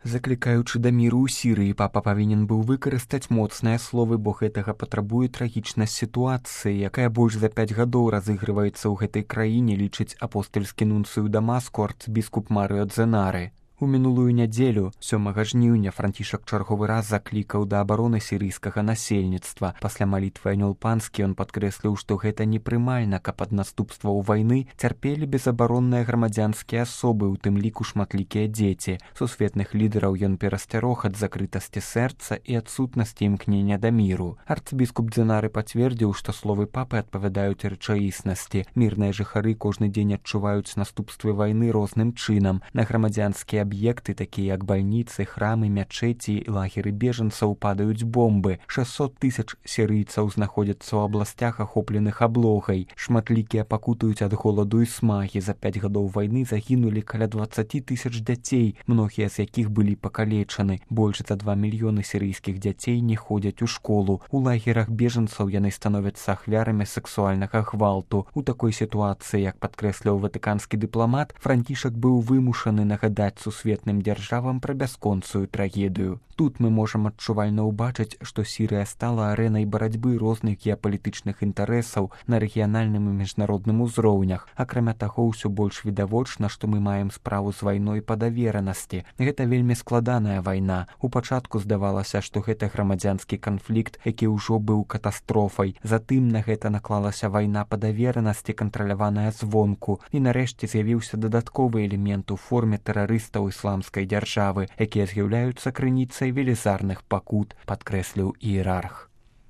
Заклікаючы да міру ў Сірыі, папа павінен быў выкарыстаць моцныя словы, бо гэтага патрабуе трагічнасць сітуацыі, якая больш за 5 гадоў разыгрываецца ў гэтай краіне, лічыць апостальскі нунцыю Дамаску арцбіскуп Марыо Дзенары. У мінулую нядзелю, 7 жніўня, Францішак чарговы раз заклікаў да абароны сірыйскага насельніцтва. Пасля малітвы Анёл Панскі ён падкрэсліў, што гэта непрымальна, каб ад наступстваў вайны цярпелі безабаронныя грамадзянскія асобы, у тым ліку шматлікія дзеці. Сусветных лідараў ён перасцярог ад закрытасці сэрца і адсутнасці імкнення да міру. Арцбіскуп Дзенары пацвердзіў, што словы папы адпавядаюць рэчаіснасці. Мірныя жыхары кожны дзень адчуваюць наступствы вайны розным чынам. На грамадзянскія аб'екты, такія як бальніцы, храмы, мячэці і лагеры бежанцаў падаюць бомбы. 600 000 сірыйцаў знаходзяцца ў абласцях, ахопленых аблогай. Шматлікія пакутаюць ад голаду і смагі. За 5 гадоў вайны загінулі каля 20 000 дзяцей, многія з якіх былі пакалечаны. Больш за 2 мільёны сірыйскіх дзяцей не ходзяць у школу. У лагерах бежанцаў яны становяцца ахвярамі сексуальнага гвалту. У такой сітуацыі, як падкрэсліў ватыканскі дыпламат, Францішак быў вымушаны нагадаць сусветным дзяржавам пра бясконцую трагедыю. Тут мы можам адчувальна ўбачыць, што Сірыя стала арэнай барацьбы розных геапалітычных інтарэсаў на рэгіянальным і міжнародным узроўнях. Акрамя таго, ўсё больш відавочна, што мы маем справу з вайной па даверанасці. Гэта вельмі складаная вайна. У пачатку здавалася, што гэта грамадзянскі канфлікт, які ўжо быў катастрофай. Затым на гэта наклалася вайна па даверанасці, кантраляваная звонку. І нарэшце з'явіўся дадатковы элемент у форме тэрарыстаў ісламскай дзяржавы, якія з'яўляюцца крыніцай велізарных пакут, падкрэсліў іерарх.